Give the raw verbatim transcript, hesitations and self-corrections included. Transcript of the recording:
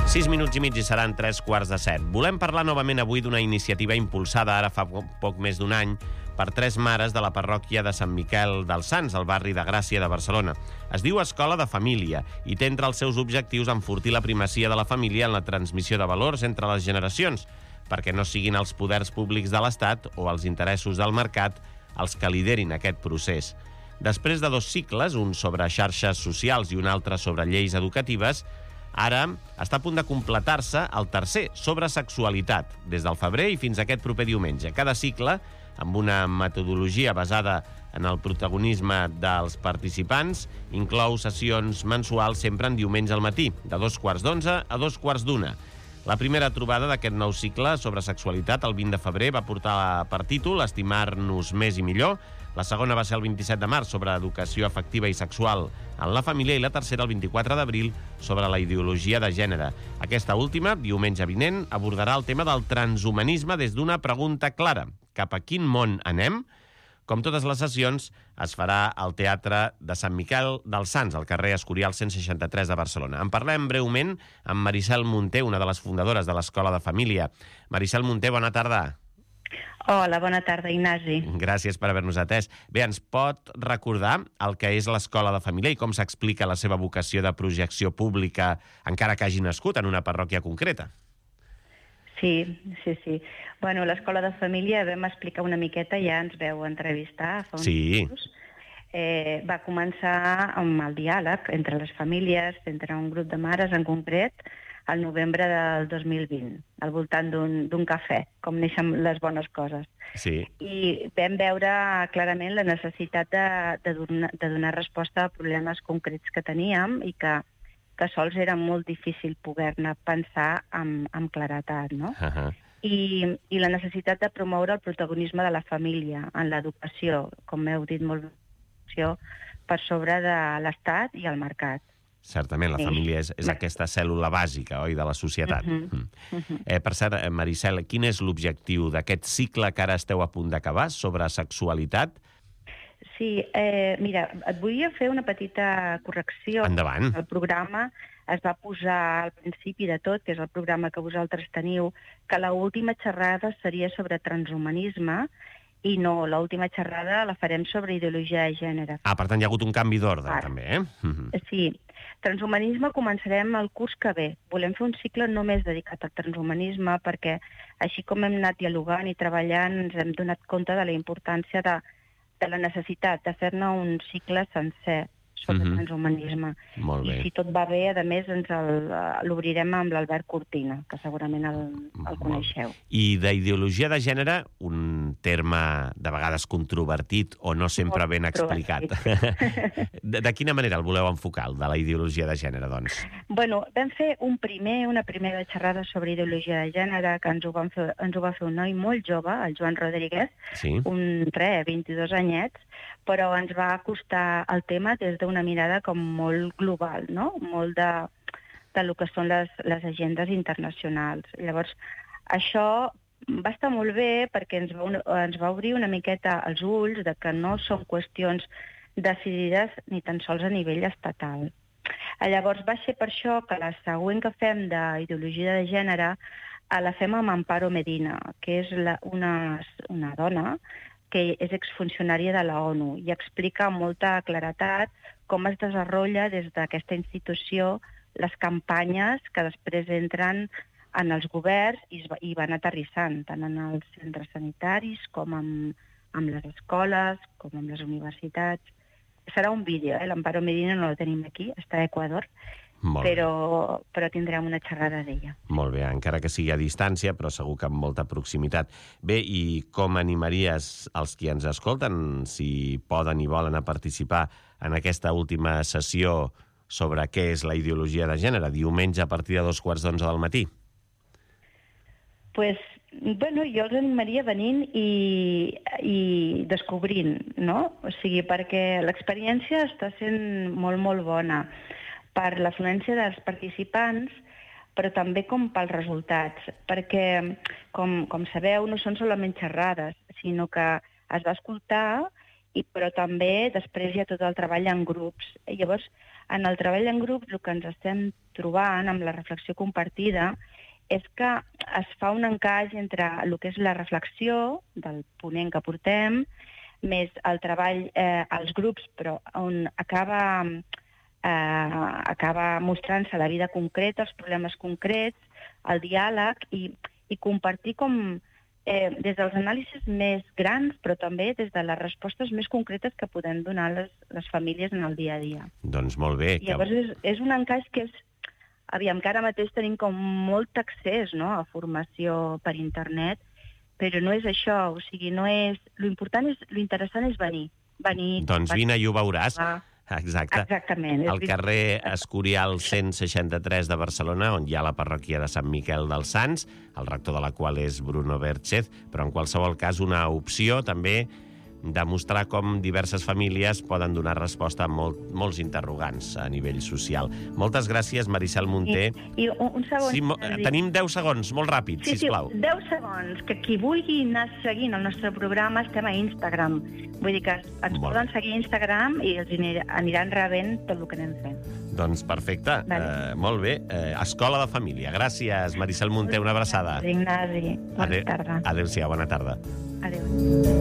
Sis minuts i mig i seran tres quarts de set. Volem parlar novament avui d'una iniciativa impulsada ara fa poc més d'un any per tres mares de la parròquia de Sant Miquel dels Sants, al barri de Gràcia de Barcelona. Es diu Escola de Família i té entre els seus objectius enfortir la primacia de la família en la transmissió de valors entre les generacions, perquè no siguin els poders públics de l'Estat o els interessos del mercat els que liderin aquest procés. Després de dos cicles, un sobre xarxes socials i un altre sobre lleis educatives, ara està a punt de completar-se el tercer, sobre sexualitat, des del febrer i fins a aquest proper diumenge. Cada cicle, amb una metodologia basada en el protagonisme dels participants, inclou sessions mensuals sempre en diumenge al matí, de dos quarts d'onze a dos quarts d'una. La primera trobada d'aquest nou cicle sobre sexualitat, el vint de febrer, va portar per títol Estimar-nos més i millor. La segona va ser el vint-i-set de març, sobre educació afectiva i sexual en la família, i la tercera, el vint-i-quatre d'abril, sobre la ideologia de gènere. Aquesta última, diumenge vinent, abordarà el tema del transhumanisme des d'una pregunta clara. Cap a quin món anem? Com totes les sessions, es farà al Teatre de Sant Miquel dels Sants, al carrer Escorial cent seixanta-tres de Barcelona. En parlem breument amb Maricel Munté, una de les fundadores de l'Escola de Família. Maricel Munté, bona tarda. Hola, bona tarda, Ignasi. Gràcies per haver-nos atès. Bé, ens pot recordar el que és l'Escola de Família i com s'explica la seva vocació de projecció pública, encara que hagi nascut en una parròquia concreta? Sí, sí, sí. Bueno, l'Escola de Família vam explicar una miqueta, ja ens veu entrevistar fa uns Sí. mesos. Eh, va començar amb el diàleg entre les famílies, entre un grup de mares en concret, al novembre del dos mil vint, al voltant d'un cafè, com neixen les bones coses. Sí. I vam veure clarament la necessitat de, de, donar, de donar resposta a problemes concrets que teníem i que, que sols era molt difícil poder-ne pensar amb, amb claretat, no? Uh -huh. I, I la necessitat de promoure el protagonisme de la família en l'educació, com heu dit molt bé, per sobre de l'Estat i el mercat. Certament, la Sí. família és, és aquesta cèl·lula bàsica, oi?, de la societat. Uh-huh. Mm. Uh-huh. Eh, per cert, Maricel, quin és l'objectiu d'aquest cicle que ara esteu a punt d'acabar sobre sexualitat? Sí, eh, mira, et volia fer una petita correcció. Endavant. El programa es va posar al principi de tot, que és el programa que vosaltres teniu, que l'última xerrada seria sobre transhumanisme i no, l'última xerrada la farem sobre ideologia de gènere. Ah, per tant, hi ha hagut un canvi d'ordre, Ara. també, eh? Mm-hmm. Sí. Transhumanisme començarem el curs que ve. Volem fer un cicle només dedicat al transhumanisme perquè, així com hem anat dialogant i treballant, ens hem donat compte de la importància de, de la necessitat de fer-ne un cicle sencer sobre Mhm. transhumanisme. Molt bé. I si tot va bé, a més, ens el- l'obrirem amb l'Albert Cortina, que segurament el, el coneixeu. I d'ideologia de gènere, un terme de vegades controvertit o no sempre Molt ben explicat. De, de quina manera el voleu enfocar, el de la ideologia de gènere, doncs? Bueno, vam fer un primer, una primera xerrada sobre ideologia de gènere, que ens ho, van fer, ens ho va fer un noi molt jove, el Joan Rodríguez, Sí. un re, vint-i-dos anyets, però ens va costar el tema des d'una mirada com molt global, no? Molt de, de lo que són les, les agendes internacionals. Llavors, això va estar molt bé perquè ens va, ens va obrir una miqueta els ulls de que no són qüestions decidides ni tan sols a nivell estatal. Llavors va ser per això que la següent que fem d'ideologia de gènere eh, la fem amb Amparo Medina, que és la, una, una dona que és exfuncionària de la ONU i explica amb molta claretat com es desenvolupa des d'aquesta institució les campanyes que després entren en els governs i, es, i van aterrissant, tant en els centres sanitaris com amb, amb les escoles, com amb les universitats. Serà un vídeo, eh? l'Amparo Medina no la tenim aquí, està a Equador, Molt però, però tindrem una xerrada d'ella. Molt bé, encara que sigui a distància, però segur que amb molta proximitat. Bé, i com animaries els qui ens escolten, si poden i volen a participar en aquesta última sessió sobre què és la ideologia de gènere, diumenge a partir de dos quarts d'onze del matí? Pues, bueno, jo els animaria venint i, i descobrint, no? O sigui, perquè l'experiència està sent molt, molt bona per l'afluència dels participants, però també com pels resultats, perquè, com, com sabeu, no són solament xerrades, sinó que es va escoltar i, però també després hi ha tot el treball en grups. I llavors, en el treball en grups, el que ens estem trobant amb la reflexió compartida és que es fa un encaix entre el que és la reflexió del ponent que portem, més el treball eh, als grups, però on acaba, eh, acaba mostrant-se la vida concreta, els problemes concrets, el diàleg, i, i compartir com eh, des dels anàlisis més grans, però també des de les respostes més concretes que podem donar les, les famílies en el dia a dia. Doncs molt bé. I llavors és, és un encaix que és... Aviam, que ara mateix tenim com molt accés, no?, a formació per internet, però no és això, o sigui, no és... L'important és, l'interessant és venir. venir doncs vine i ho veuràs. Ah, exacte. Exactament. Al carrer Escorial cent seixanta-tres de Barcelona, on hi ha la parròquia de Sant Miquel dels Sants, el rector de la qual és Bruno Berchez, però en qualsevol cas una opció també de mostrar com diverses famílies poden donar resposta a molt, molts interrogants a nivell social. Moltes gràcies, Maricel Munté. I, i un, un segon... Sí, mo, tenim deu segons, molt ràpid, sí, sisplau. Sí, deu segons, que qui vulgui anar seguint el nostre programa estem a Instagram. Vull dir que ens Molt poden bé. seguir a Instagram i els aniran rebent tot el que anem fent. Doncs perfecte, Vale. eh, molt bé. Eh, Escola de Família. Gràcies, Maricel Munté, una abraçada. Ignasi, bona Adéu- tarda. Adéu-siau, bona tarda. Adéu.